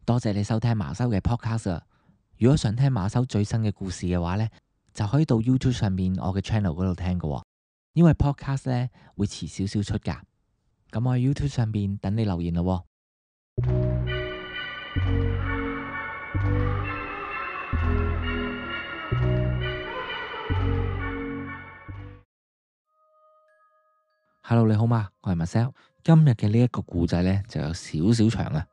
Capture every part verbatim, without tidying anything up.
多謝你收聽馬修嘅 podcast 啊！如果想聽馬修最新嘅故事嘅話呢，就可以到 YouTube 上面我嘅 channel 嗰度聽㗎喎。因為 podcast 呢會遲少少出㗎。咁我喺 YouTube 上面等你留言咯喎。Hello，你好嘛？我係 Marcel。今日嘅呢一個故仔呢就有少少長啊，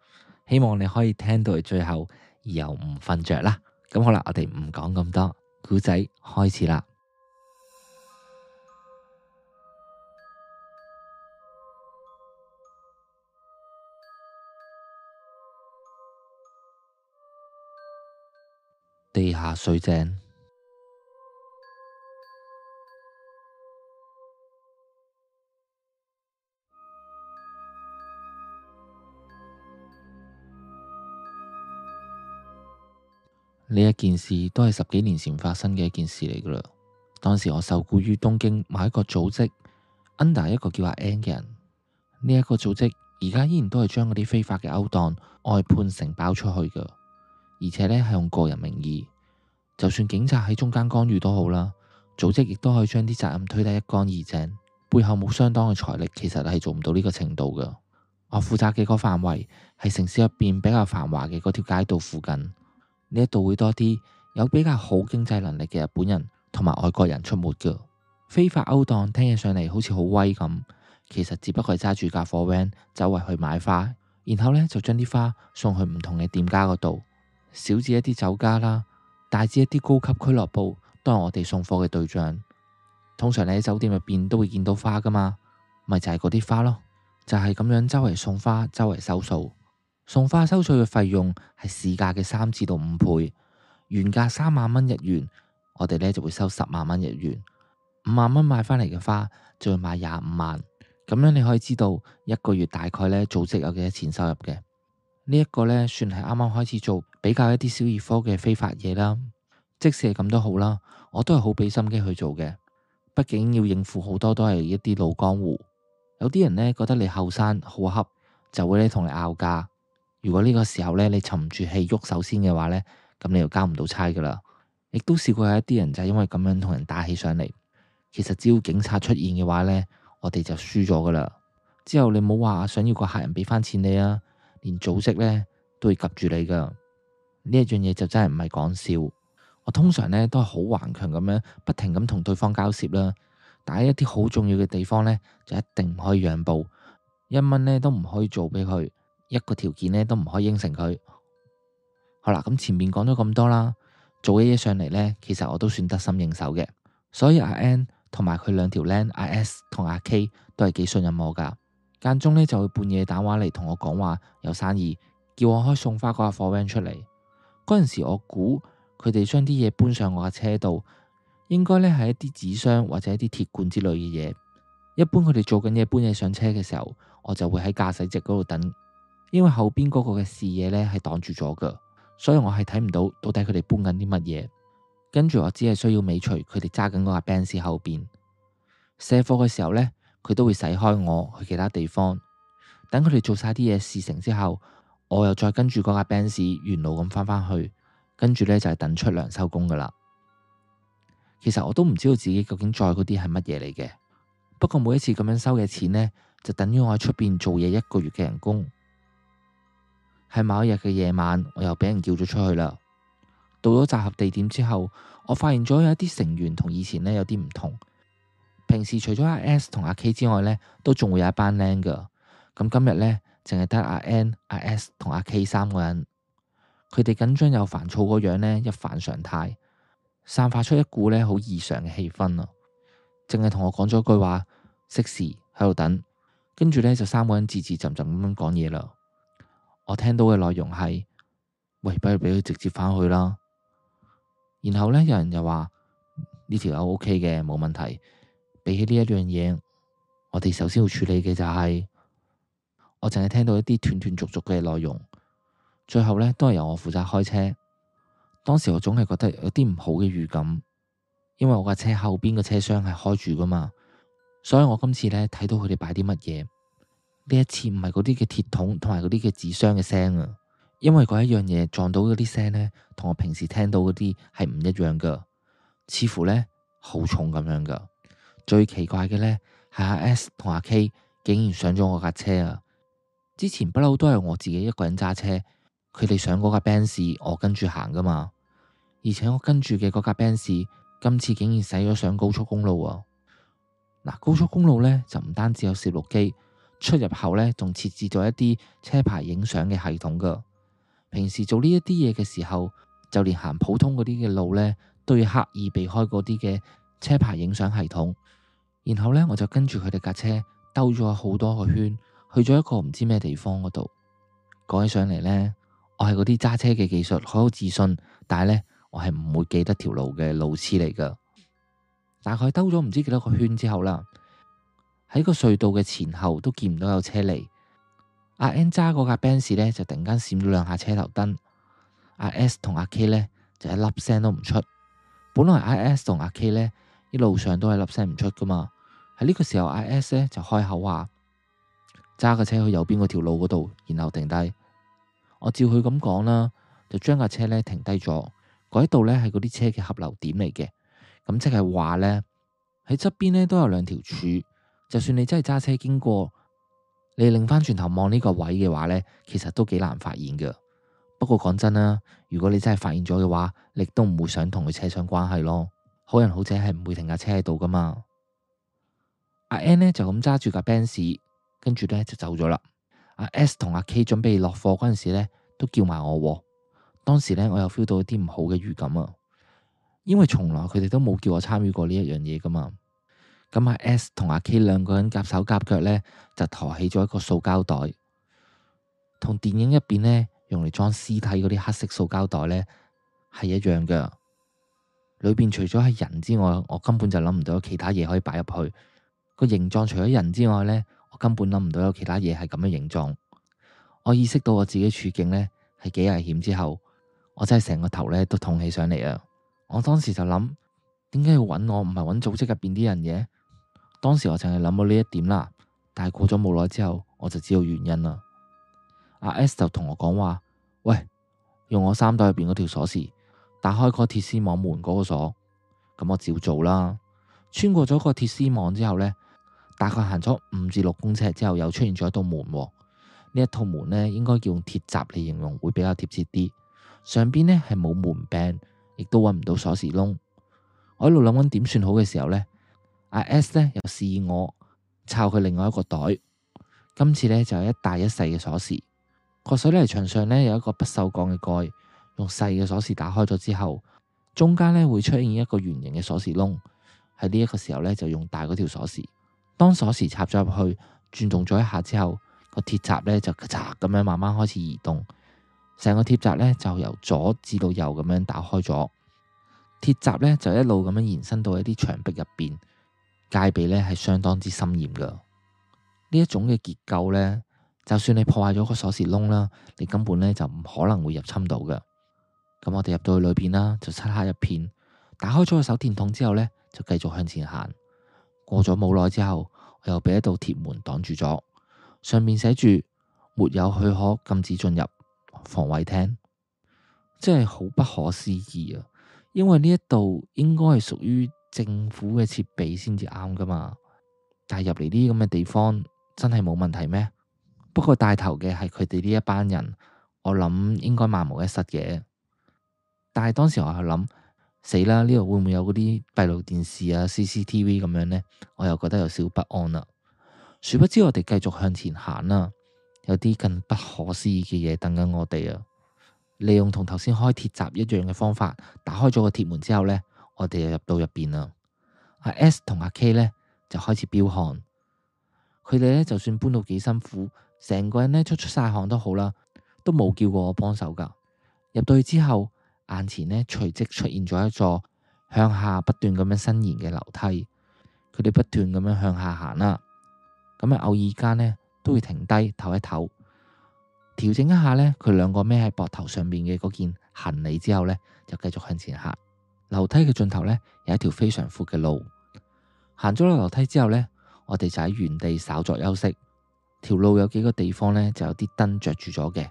希望你可以聽到最後而又唔瞓着啦。咁好啦，我哋唔講咁多，故仔開始啦。地下水井。呢一件事都係十幾年前發生嘅一件事嚟噶啦。當時我受雇於東京某一個組織 under 一個叫阿 N 嘅人。呢、這、一個組織而家依然都係將嗰啲非法嘅勾當外判承包出去噶，而且呢係用個人名義。就算警察喺中間干預都好啦，組織亦都可以將啲責任推得一乾二淨，背後冇相當嘅財力，其實係做唔到呢個程度噶。我負責嘅個範圍係城市入邊比較繁華嘅嗰條街道附近。呢一度會多啲有比較好經濟能力嘅日本人同埋外國人出沒噶。非法勾當聽起上嚟好似好威咁，其實只不過係揸住架貨 van 周圍去買花，然後呢就將啲花送去唔同嘅店家嗰度，小至一啲酒家啦，大至一啲高級俱樂部，都係我哋送貨嘅對象。通常你喺酒店入邊都會見到花噶嘛，咪就係嗰啲花咯，就係咁樣周圍送花，周圍收數。送花收取嘅費用係市價嘅三至到五倍，原價三萬蚊日元，我哋呢就會收十萬蚊日元。五萬蚊買返嚟嘅花就會賣廿五萬，咁樣你可以知道一個月大概呢組織有幾多錢收入嘅。呢一個呢算係啱啱開始做比較一啲小兒科嘅非法嘢啦。即使係咁都好啦，我都係好俾心機去做嘅，畢竟要應付好多都係一啲老江湖。有啲人呢覺得你後生好恰，就會呢同你拗價。如果呢個時候呢，你沉唔住氣喐手先嘅話呢，咁你就交唔到差噶啦。亦都試過有一啲人就係因為咁樣同人打起上嚟。其實只要警察出現嘅話呢，我哋就輸咗噶啦。之後你冇話想要個客人俾翻錢你啊，連組織呢都會及住你噶。呢一樣嘢就真係唔係講笑。我通常呢都係好頑強咁樣，不停咁同對方交涉啦。但係一啲好重要嘅地方呢，就一定唔可以讓步，一蚊呢都唔可以做俾佢。一個條件呢都唔可以應承佢。好啦，咁前面講咗咁多啦，做嘅嘢上嚟呢，其實我都算得心應手嘅。所以阿 N 同埋佢兩條僆阿 S 同阿 K 都係幾信任我噶。間中呢就會半夜打電話嚟同我講話有生意，叫我開送花嗰架貨 van 出嚟。嗰陣時我估佢哋將啲嘢搬上我架車度，應該呢係一啲紙箱或者一啲鐵罐之類嘅嘢。一般佢哋做緊嘢搬嘢上車嘅時候，我就會喺駕駛席嗰度等。因為後邊嗰個嘅視野呢係擋住咗噶，所以我係睇唔到到底佢哋搬緊啲乜嘢。跟住我只係需要尾隨佢哋揸緊嗰架 Benz 後邊卸貨嘅時候呢，佢都會駛開我去其他地方。等佢哋做晒啲嘢事成之後，我又再跟住嗰架 Benz 沿路咁翻返去，跟住呢就係等出糧收工噶啦。其實我都唔知道自己究竟載嗰啲係乜嘢嚟嘅，不過每一次咁樣收嘅錢呢，就等於我喺出邊做嘢一個月嘅人工。喺某一日嘅夜晚，我又俾人叫咗出去啦。到咗集合地點之後，我發現咗有一啲成員同以前呢有啲唔同。平時除咗阿 S 同阿 K 之外呢，都仲會有一班僆噶。咁今日呢，淨係得阿 N、阿 S 同阿 K 三個人。佢哋緊張又煩躁嗰樣呢，一反常態，散發出一股呢好異常嘅氣氛啊！淨係同我講咗句話，熄匙喺度等，跟住呢，就三個人字字浸浸咁樣講嘢啦。我聽到嘅內容係，喂，不如俾佢直接返去啦。然後呢，有人又話呢條友 OK 嘅，冇問題。比起呢一樣嘢，我哋首先要處理嘅就係，我淨係聽到一啲斷斷續續嘅內容。最後呢，都係由我負責開車。當時我總係覺得有啲唔好嘅預感，因為我架車後邊個車廂係開住噶嘛，所以我今次呢，睇到佢哋擺啲乜嘢。呢一次唔係嗰啲嘅鐵桶同埋嗰啲嘅紙箱嘅聲啊，因為嗰一樣嘢撞到嗰啲聲呢，同我平時聽到嗰啲係唔一樣噶，似乎呢好重咁樣噶。最奇怪嘅呢係阿 S 同阿 K 竟然上咗我架車啊！之前不嬲都係我自己一個人揸車，佢哋上嗰架 Benz，我跟住行噶嘛。而且我跟住嘅嗰架 Benz 今次竟然駛咗上高速公路啊！嗱，高速公路呢就唔單止有攝錄機，出入口呢仲設置咗一啲車牌影相嘅系統噶。平時做呢一啲嘢嘅時候，就連行普通嗰啲嘅路呢，都要刻意避開嗰啲嘅車牌影相系統。然後呢，我就跟住佢哋架車兜咗好多個圈，去咗一個唔知咩地方嗰度。講起上嚟呢，我係嗰啲揸車嘅技術好有自信，但係呢，我係唔會記得條路嘅路痴嚟噶。大概兜咗唔知幾多個圈之後啦，喺個隧道嘅前後都見唔到有車嚟。阿 N 揸嗰架 Benz 呢，就突然間閃咗兩下車頭燈，阿 S 同阿 K 呢，就一粒聲都唔出。本來阿 S 同阿 K 呢，一路上都係粒聲唔出噶嘛。喺呢個時候，阿 S 呢，就開口話揸架車去右邊嗰條路嗰度，然後停低。我照佢咁講啦，就將架車呢停低咗。嗰度呢係嗰啲車嘅合流點嚟嘅，咁即係話呢，喺側邊呢都有兩條柱，就算你真係揸車經過，你擰翻轉頭望呢個位嘅話呢，其實都幾難發現噶。不過講真啦，如果你真係發現咗嘅話，你都唔會想同佢扯上關係咯。好人好姐係唔會停架車喺度噶嘛。阿 N 呢就咁揸住架 Benz，跟住呢就走咗啦。阿 S 同阿 K 準備落貨嗰陣時呢，都叫埋我。當時呢，我又 feel 到一啲唔好嘅預感啊，因為從來佢哋都冇叫我參與過呢一樣嘢噶嘛。咁阿 S 同阿 K 兩個人夾手夾腳呢，就抬起咗一個塑膠袋，同電影入邊呢用嚟裝屍體嗰啲黑色塑膠袋呢係一樣噶。裏邊除咗係人之外，我根本就諗唔到有其他嘢可以擺入去。個形狀除咗人之外呢，我根本諗唔到有其他嘢係咁嘅形狀。我意識到我自己處境呢係幾危險之後，我真係成個頭呢都痛起上嚟啊！我當時就諗，點解要揾我，唔係揾組織入邊啲人嘅？當時我淨係諗到呢一點啦，但係過咗冇耐之後，我就知道原因啦。阿 S 就同我講話，喂，用我衫袋入邊嗰條鎖匙打開個鐵絲網門嗰個鎖。咁我照做啦。穿過咗個鐵絲網之後呢，大概行咗五至六公尺之後，又出現咗一道門。呢一套門呢，應該叫用鐵閘嚟形容會比較貼切啲。上邊呢係冇門柄，亦都揾唔到鎖匙窿。我喺度諗緊點算好嘅時候呢，阿 S 呢又示意我抄佢另外一個袋。今次呢就有一大一細嘅鎖匙。個水泥牆上呢有一個不鏽鋼嘅蓋，用細嘅鎖匙打開咗之後，中間呢會出現一個圓形嘅鎖匙窿。喺呢一個時候呢，就用大嗰條鎖匙。當鎖匙插咗入去，轉動咗一下之後，個鐵閘呢就咔嚓咁樣慢慢開始移動。成個鐵閘呢就由左至到右咁樣打開咗。鐵閘呢就一路咁樣延伸到一啲牆壁入邊，戒備呢係相當之森嚴噶。呢一種嘅結構呢，就算你破壞咗個鎖匙窿啦，你根本呢就唔可能會入侵到噶。咁我哋入到去裏邊啦，就漆黑一片。打開咗個手電筒之後呢，就繼續向前行。過咗冇耐之後，我又俾一道鐵門擋住咗，上面寫住沒有許可，禁止進入防衛廳。真係好不可思議啊！因為呢一度應該係屬於政府嘅設備先至啱噶嘛，但係入嚟呢啲咁嘅地方真係冇問題咩？不過帶頭嘅係佢哋呢一班人，我諗應該萬無一失嘅。但係當時我係諗，死啦！呢度會唔會有嗰啲閉路電視啊、C C T V 咁樣呢？我又覺得有少不安啦。殊不知我哋繼續向前行啦，有啲更不可思議嘅嘢等緊我哋啊！利用同頭先開鐵閘一樣嘅方法，打開咗個鐵門之後呢，我哋就入到入邊啦。阿 S 同阿 K 呢就開始飆汗，佢哋呢就算搬到幾辛苦，成個人呢出出晒汗都好啦，都冇叫過我幫手噶。入到去之後，眼前呢隨即出現咗一座向下不斷咁樣伸延嘅樓梯，佢哋不斷咁樣向下行啦。咁啊，偶爾間呢都會停低唞一唞，調整一下呢佢兩個孭喺膊頭上面嘅嗰件行李之後呢，就繼續向前行。樓梯嘅盡頭呢，有一條非常闊嘅路，行咗落樓梯之後呢，我哋就喺原地稍作休息。條路有幾個地方呢，就有啲燈着住咗嘅，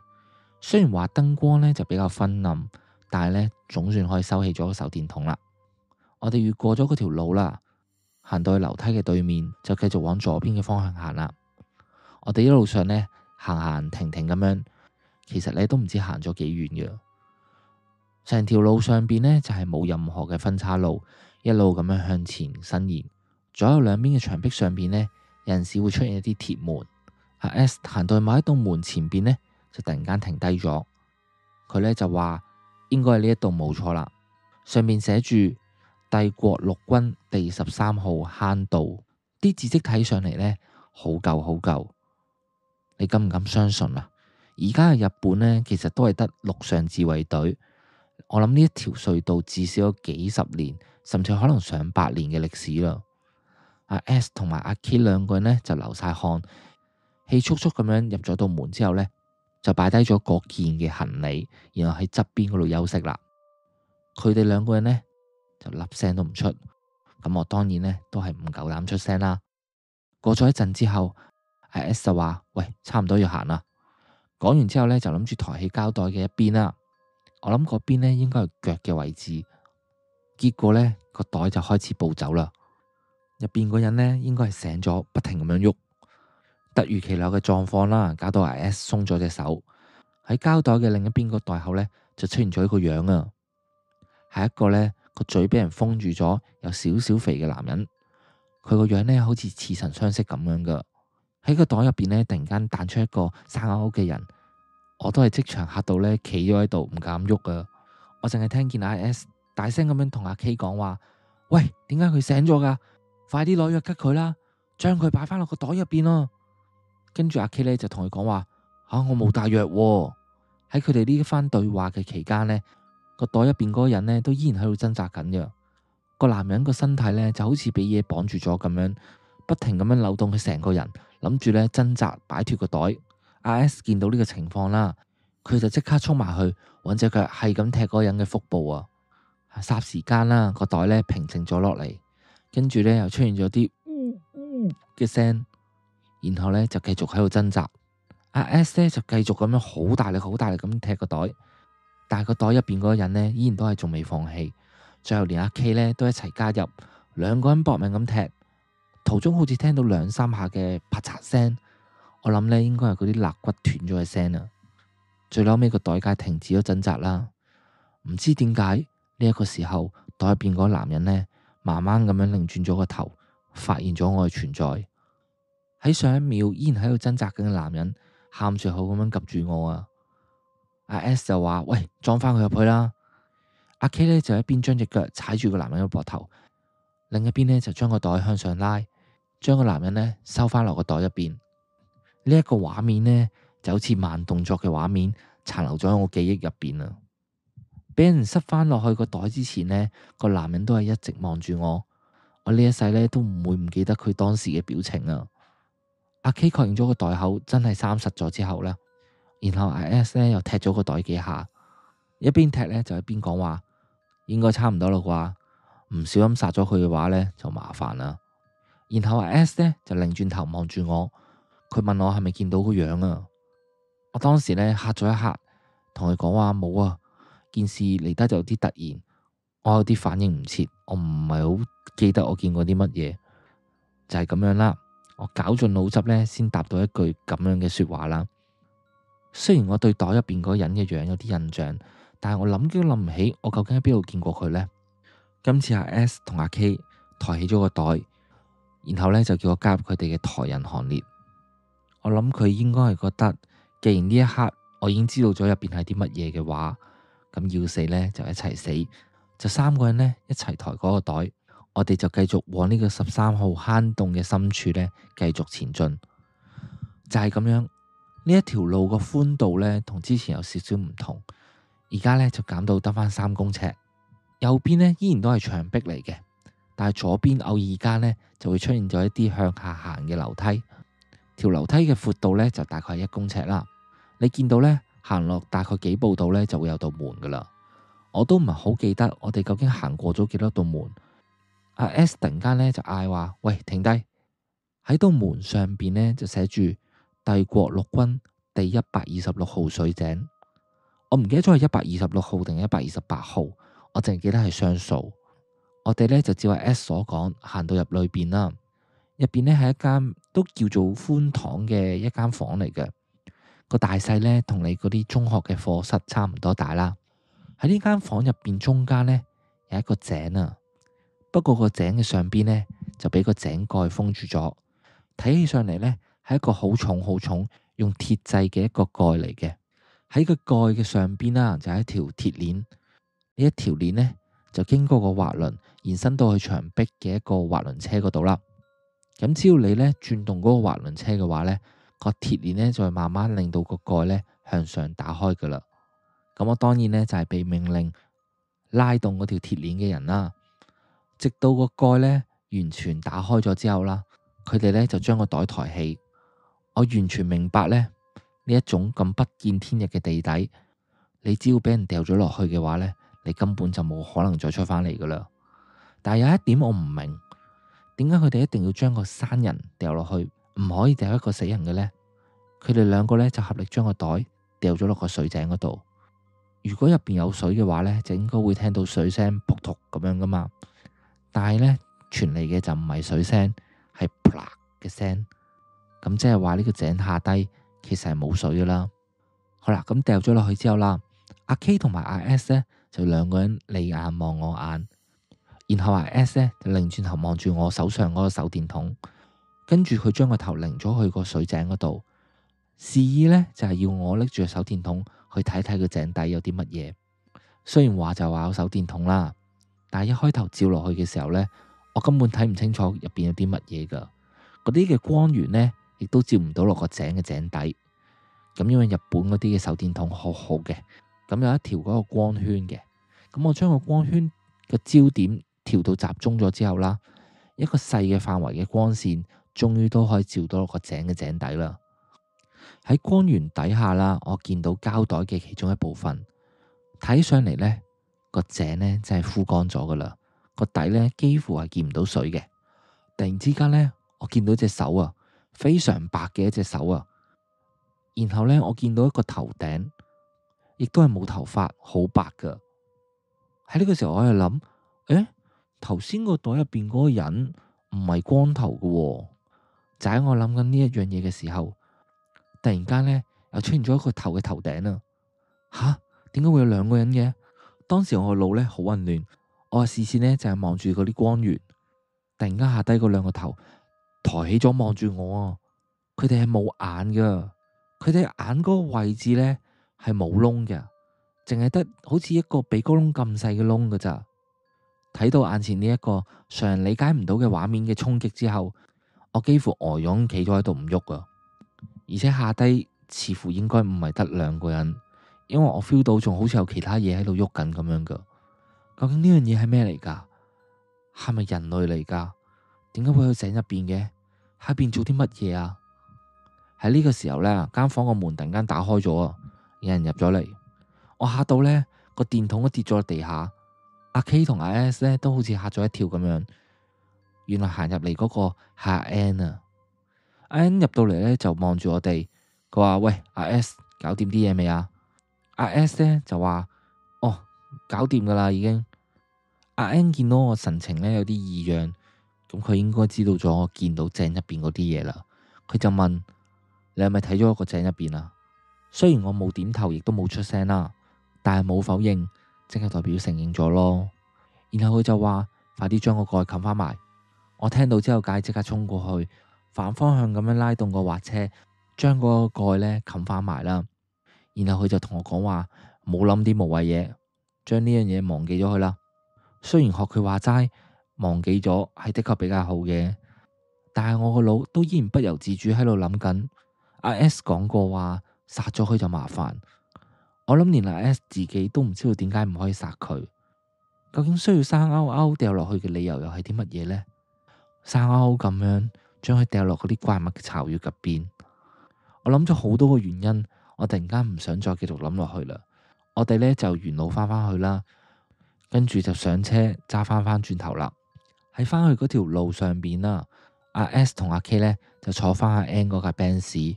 雖然話燈光呢就比較昏暗，但係呢總算可以收起咗個手電筒啦。我哋越過咗嗰條路啦，行到去樓梯嘅對面，就繼續往左邊嘅方向行啦。我哋一路上呢，行行停停咁樣，其實呢都唔知行咗幾遠嘅。成條路上邊呢，就係冇任何嘅分岔路，一路咁樣向前伸延。左右兩邊嘅牆壁上邊呢，有陣時會出現一啲鐵門。阿 S 行到去某一棟門前邊呢，就突然間停低咗。佢呢就話應該係呢一棟冇錯啦，上面寫住帝國陸軍第十三號坑道，啲字跡睇上嚟呢，好舊好舊。你敢唔敢相信啊？而家嘅日本呢，其實都係得陸上自衛隊。我諗呢一條隧道至少有幾十年，甚至可能上百年嘅歷史啦。阿 S 同埋阿 K 兩個人呢，就流晒汗，氣促促咁樣入咗道門之後呢，就擺低咗嗰件嘅行李，然後喺側邊嗰度休息啦。佢哋兩個人呢，就粒聲都唔出，咁我當然呢，都係唔夠膽出聲啦。過咗一陣之後，阿 S 就話：喂，差唔多要行啦。講完之後呢，就諗住抬起膠袋嘅一邊啦。我諗嗰邊呢應該係腳嘅位置，結果呢個袋就開始暴走啦。入邊個人呢應該係醒咗，不停咁樣喐。突如其來嘅狀況啦，搞到阿 S 鬆咗隻手。喺膠袋嘅另一邊個袋口呢，就出現咗一個樣啊，係一個呢個嘴俾人封住咗，有少少肥嘅男人。佢個樣呢好似似曾相識咁樣噶。喺個袋入邊呢，突然間彈出一個生勾勾嘅人。我都係即場嚇到呢，企咗喺度唔敢喐啊！我淨係聽見阿 S 大聲咁樣同阿 K 講話：喂，點解佢醒咗噶？快啲攞藥吉佢啦，將佢擺翻落個袋入邊咯。跟住阿 K 呢就同佢講話：吓、啊，我冇帶藥喎。喺佢哋呢一番對話嘅期間呢，個袋入邊嗰個人呢都依然喺度掙扎緊嘅。個男人個身體呢就好似俾嘢綁住咗咁樣，不停咁樣扭動佢成個人，諗住呢掙扎擺脫個袋。阿 S 見到呢個情況啦，佢就即刻衝埋去，揾隻腳係咁踢嗰個人嘅腹部啊！霎時間啦，個袋呢平靜咗落嚟，跟住呢又出現咗啲嗚嗚嘅聲，然後呢就繼續喺度掙扎。阿 S 呢就繼續咁樣好大力、好大力咁踢個袋，但係個袋入邊嗰個人呢依然都係仲未放棄，最後連阿 K 呢都一齊加入，兩個人搏命咁踢，途中好似聽到兩三下嘅啪嚓聲。我諗呢應該係嗰啲肋骨斷咗嘅聲啊！最後尾個袋架停止咗掙扎啦。唔知點解呢一個時候，袋入邊嗰個男人呢，慢慢咁樣擰轉咗個頭，發現咗我嘅存在。喺上一秒依然喺度掙扎緊嘅男人，喊住口咁樣及住我啊！阿 S 就話：喂，裝翻佢入去啦！阿 K 呢就一邊將隻腳踩住個男人嘅膊頭，另一邊呢就將個袋向上拉，將個男人呢收翻落個袋入邊。呢一個畫面呢，就好似慢動作嘅畫面，殘留咗喺我記憶入邊啊！俾人塞翻落去個袋之前呢，個男人都係一直望住我。我呢一世呢，都唔會唔記得佢當時嘅表情啊！阿 K 確認咗個袋口真係閂實咗之後呢，然後阿 S 呢又踢咗個袋幾下，一邊踢呢，就一邊講話：應該差唔多啦啩，唔小心殺咗佢嘅話呢，就麻煩啦。然後阿 S 呢就擰轉頭望住我。佢問我係咪見到個樣啊？我當時呢嚇咗一嚇，同佢講話冇啊。件事嚟得就有啲突然，我有啲反應唔切，我唔係好記得我見過啲乜嘢，就係咁樣啦。我絞盡腦汁呢，先答到一句咁樣嘅說話啦。雖然我對袋入邊嗰個人嘅樣有啲印象，但係我諗都諗唔起我究竟喺邊度見過佢呢。今次阿 S 同阿 K 抬起咗個袋，然後呢就叫我加入佢哋嘅抬人行列。我諗佢應該係覺得，既然呢一刻我已經知道咗入邊係啲乜嘢嘅話，咁要死呢就一齊死，就三個人呢一齊抬嗰個袋，我哋就繼續往呢個十三號坑洞嘅深處呢繼續前進。就係咁樣，呢一條路個寬度呢同之前有少少唔同，而家呢就減到得返三公尺，右邊呢依然都係牆壁嚟嘅，但係左邊偶爾間呢就會出現咗一啲向下行嘅樓梯。條樓梯嘅闊度呢，就大概係一公尺啦。你見到呢，行落大概幾步度呢，就會有道門噶啦。我都唔係好記得我哋究竟行過咗幾多道門。阿 S 突然間呢，就嗌話：喂，停低！喺道門上邊呢，就寫住帝國陸軍第一百二十六號水井。我唔記得咗係一百二十六號定一百二十八號，我淨係記得係雙數。我哋呢就照阿 S 所講，行到入裏邊啦。入邊呢係一間都叫做寬敞嘅一間房嚟嘅，個大細呢同你嗰啲中學嘅課室差唔多大啦。喺呢間房入邊中間呢有一個井啊，不過個井嘅上邊呢就俾個井蓋封住咗，睇起上嚟呢係一個好重好重用鐵製嘅一個蓋嚟嘅。喺個蓋嘅上邊啦，就係一條鐵鏈。呢一條鏈呢，就經過個滑輪延伸到去牆壁嘅一個滑輪車嗰度啦。咁只要你呢轉動嗰個滑輪車嘅話呢，個鐵鏈呢就會慢慢令到個蓋呢向上打開噶啦。咁我當然呢就係被命令拉動嗰條鐵鏈嘅人啦，直到個蓋呢完全打開咗之後啦，佢哋呢就將個袋抬起。我完全明白呢。呢一種咁不見天日嘅地底，你只要俾人掉咗落去嘅話呢，你根本就冇可能再出返嚟噶啦。但係有一點我唔明，點解佢哋一定要將個生人掉落去，唔可以掉一個死人嘅呢？佢哋兩個呢就合力將個袋掉咗落個水井嗰度。如果入邊有水嘅話呢，就應該會聽到水聲撲突咁樣噶嘛。但係呢，傳嚟嘅就唔係水聲，係啪嘅聲。咁即係話呢個井下低其實係冇水噶啦。好啦，咁掉咗落去之後啦，阿 K 同埋阿 S 呢就兩個人你眼望我眼，然後阿 S 呢就擰轉頭望住我手上嗰個手電筒，跟住佢將個頭擰咗去個水井嗰度，示意呢就係要我拎住個手電筒去睇睇個井底有啲乜嘢。雖然話就話有手電筒啦，但係一開頭照落去嘅時候呢，我根本睇唔清楚入邊有啲乜嘢噶，嗰啲嘅光源呢，亦都照唔到落個井嘅井底。咁因為日本嗰啲嘅手電筒好好嘅，咁有一條嗰個光圈嘅，咁我將個光圈嘅焦點調到集中咗之後啦，一個細嘅範圍嘅光線終於都可以照到落個井嘅井底啦。喺光源底下啦，我見到膠袋嘅其中一部分，睇上嚟呢個井呢真係枯乾咗噶啦，個底呢幾乎係見唔到水嘅。突然之間呢，我見到隻手啊，非常白嘅一隻手啊，然後呢，我見到一個頭頂，亦都係冇頭髮，好白噶。喺呢個時候我喺度諗，誒，頭先個袋入邊嗰個人唔係光頭噶喎。就喺我諗緊呢一樣嘢嘅時候，突然間呢，又出現咗一個頭嘅頭頂啊！吓，點解會有兩個人嘅？當時我個腦呢好混亂，我嘅視線呢就係望住嗰啲光源，突然間下低嗰兩個頭抬起咗望住我啊！佢哋係冇眼噶，佢哋眼嗰個位置呢係冇窿嘅，淨係得好似一個鼻哥窿咁細嘅窿噶咋。睇到眼前呢一個常人理解唔到嘅畫面嘅衝擊之後，我幾乎呆咗企咗喺度唔喐啊！而且下低似乎應該唔係得兩個人，因為我 feel 到仲好似有其他嘢喺度喐緊咁樣噶。究竟呢樣嘢係咩嚟噶？係咪人類嚟噶？點解會去井入邊嘅？喺入邊做啲乜嘢啊？喺呢個時候呢，間房個門突然間打開咗啊！有人入咗嚟，我嚇到呢個電筒都跌咗落地下。阿 K 同阿 S 呢都好似嚇咗一跳咁樣。原來行入嚟嗰個係阿 N 啊！阿 N 入到嚟呢就望住我哋，佢話：喂，阿 S 搞掂啲嘢未啊？阿 S 呢就話：哦，搞掂噶啦已經。阿 N 見到我神情呢有啲異樣，咁佢應該知道咗我見到井入邊嗰啲嘢啦。佢就問：你係咪睇咗個井入邊啊？雖然我冇點頭，亦都冇出聲啦，但係冇否認，即係代表承認咗咯。然後佢就話：快啲將個蓋冚翻埋。我聽到之後，梗係即刻衝過去，反方向咁樣拉動個滑車，將嗰個蓋呢冚翻埋啦。然後佢就同我講話：冇諗啲無謂嘢，將呢樣嘢忘記咗佢啦。雖然學佢話齋，忘記咗係的確比較好嘅，但係我個腦都依然不由自主喺度諗緊。阿 S 講過話殺咗佢就麻煩，我諗連阿 S 自己都唔知道點解唔可以殺佢。究竟需要生勾勾掉落去嘅理由又係啲乜嘢呢？生勾勾咁樣將佢掉落嗰啲怪物嘅巢穴入邊，我諗咗好多個原因，我突然間唔想再繼續諗落去啦。我哋呢就沿路翻返去啦，跟住就上車揸翻翻轉頭啦。喺翻去嗰條路上邊啦，阿 S 同阿 K 呢就坐翻阿 N 嗰架 Benz，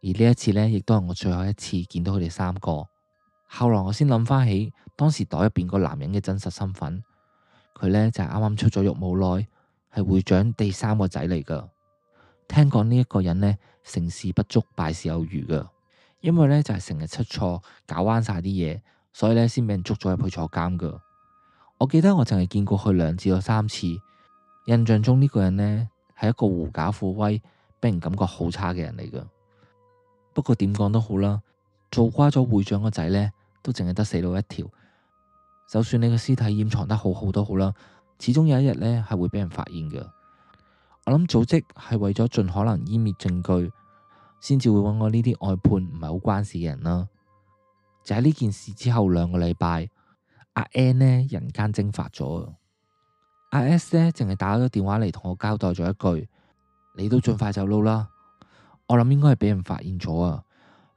而呢一次呢亦都係我最後一次見到佢哋三個。後來我先諗翻起當時袋入邊個男人嘅真實身份，佢呢就係啱啱出咗獄冇耐，係會長第三個仔嚟噶。聽講呢一個人呢，成事不足敗事有餘噶，因為呢就係成日出錯，搞彎晒啲嘢，所以呢先俾人捉咗入去坐監噶。我記得我淨係見過佢兩至到三次，印象中呢個人呢係一個狐假虎威，俾人感覺好差嘅人嚟噶。不過點講都好啦，做瓜咗會長個仔呢，都淨係得死路一條。就算你個屍體掩藏得好好都好啦，始終有一日呢係會俾人發現噶。我諗組織係為咗盡可能湮滅證據，先至會揾我呢啲外判唔係好關事嘅人啦。就喺呢件事之後兩個禮拜，阿 N 呢人間蒸發咗，阿 S 呢淨係打咗電話嚟同我交代咗一句：你都盡快走佬啦。我諗應該係俾人發現咗啊，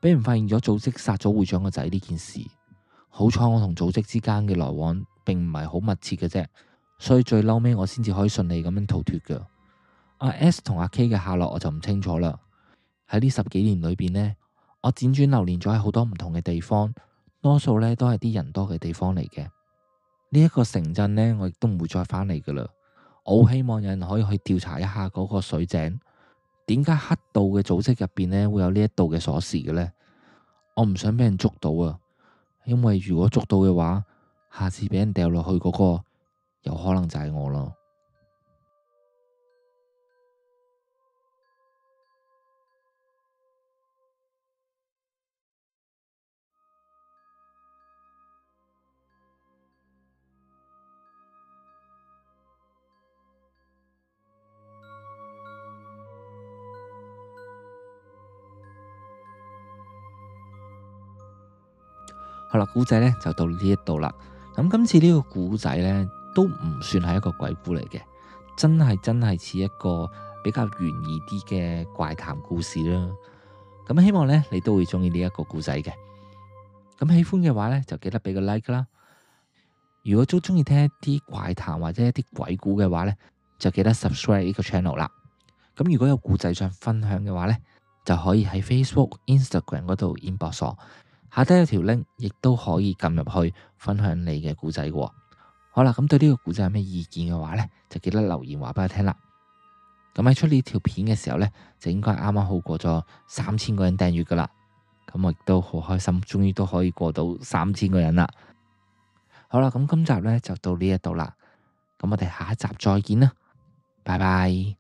俾人發現咗組織殺咗會長個仔呢件事。好彩我同組織之間嘅來往並唔係好密切嘅啫，所以最嬲尾我先至可以順利咁樣逃脫噶。阿 S 同阿 K 嘅下落我就唔清楚啦。喺呢十幾年裏邊呢，我輾轉流連咗喺好多唔同嘅地方，多數呢都係啲人多嘅地方嚟嘅。呢一個城鎮呢，我亦都唔會再返嚟噶啦。我好希望有人可以去調查一下嗰個水井，點解黑道嘅組織入邊呢會有呢一度嘅鎖匙嘅呢？我唔想俾人捉到啊，因為如果捉到嘅話，下次俾人掉落去嗰個有可能就係我咯。好啦，故仔呢就到呢一度啦。咁今次呢個故仔呢，都唔算係一個鬼故嚟嘅，真係真係似一個比較懸疑啲嘅怪談故事啦。咁希望呢，你都會中意呢一個故仔嘅。咁喜歡嘅話呢，就記得俾個 like 啦。如果都中意聽一啲怪談或者一啲鬼故嘅話呢，就記得 subscribe 呢個 channel 啦。咁如果有故仔想分享嘅話呢，就可以喺 Facebook、Instagram 嗰度 inbox 我。下低有條 link， 亦都可以撳入去分享你嘅故仔嘅。好啦，咁對呢個故仔有咩意見嘅話呢，就記得留言話俾我聽啦。咁喺出呢條片嘅時候呢，就應該啱啱好過咗三千個人訂閱噶啦。咁我亦都好開心，終於都可以過到三千個人啦。好啦，咁今集呢就到呢一度啦。咁我哋下一集再見啦，拜拜。